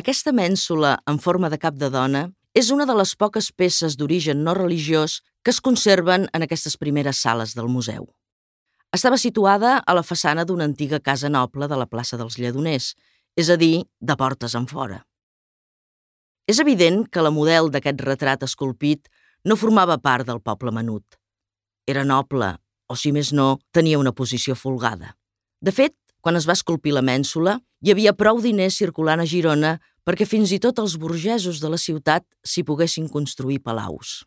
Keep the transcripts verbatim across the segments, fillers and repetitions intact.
Aquesta mènsula en forma de cap de dona és una de les poques peces d'origen no religiós que es conserven en aquestes primeres sales del museu. Estava situada a la façana d'una antiga casa noble de la plaça dels Lledoners, és a dir, de portes enfora. És evident que la model d'aquest retrat esculpit no formava part del poble menut. Era noble, o si més no, tenia una posició folgada. De fet, quan es va esculpir la mènsula, hi havia prou diners circulant a Girona perquè fins i tot els burgesos de la ciutat s'hi poguessin construir palaus.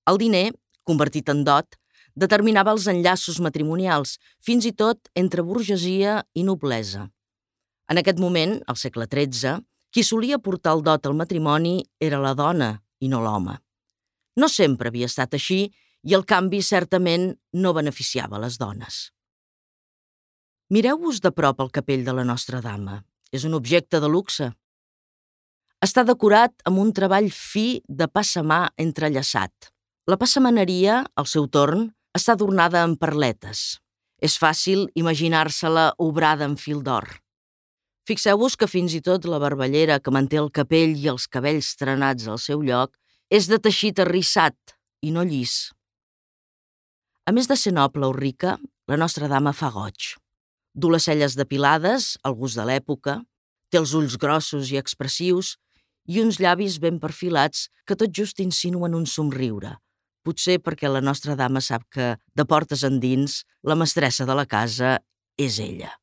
El diner, convertit en dot, determinava els enllaços matrimonials, fins i tot entre burgesia i noblesa. En aquest moment, al segle tretze, qui solia portar el dot al matrimoni era la dona i no l'home. No sempre havia estat així i el canvi certament no beneficiava les dones. Mireu-vos de prop el capell de la Nostra Dama. És un objecte de luxe. Està decorat amb un treball fi de passamà entrellaçat. La passamaneria, al seu torn, està adornada amb perletes. És fàcil imaginar-se-la obrada en fil d'or. Fixeu-vos que fins i tot la barballera que manté el capell i els cabells trenats al seu lloc és de teixit arrissat i no llis. A més de ser noble o rica, la Nostra Dama fa goig. Du les celles depilades, al gust de l'època, té els ulls grossos i expressius i uns llavis ben perfilats que tot just insinuen un somriure. Potser perquè la Nostra Dama sap que, de portes endins, la mestressa de la casa és ella.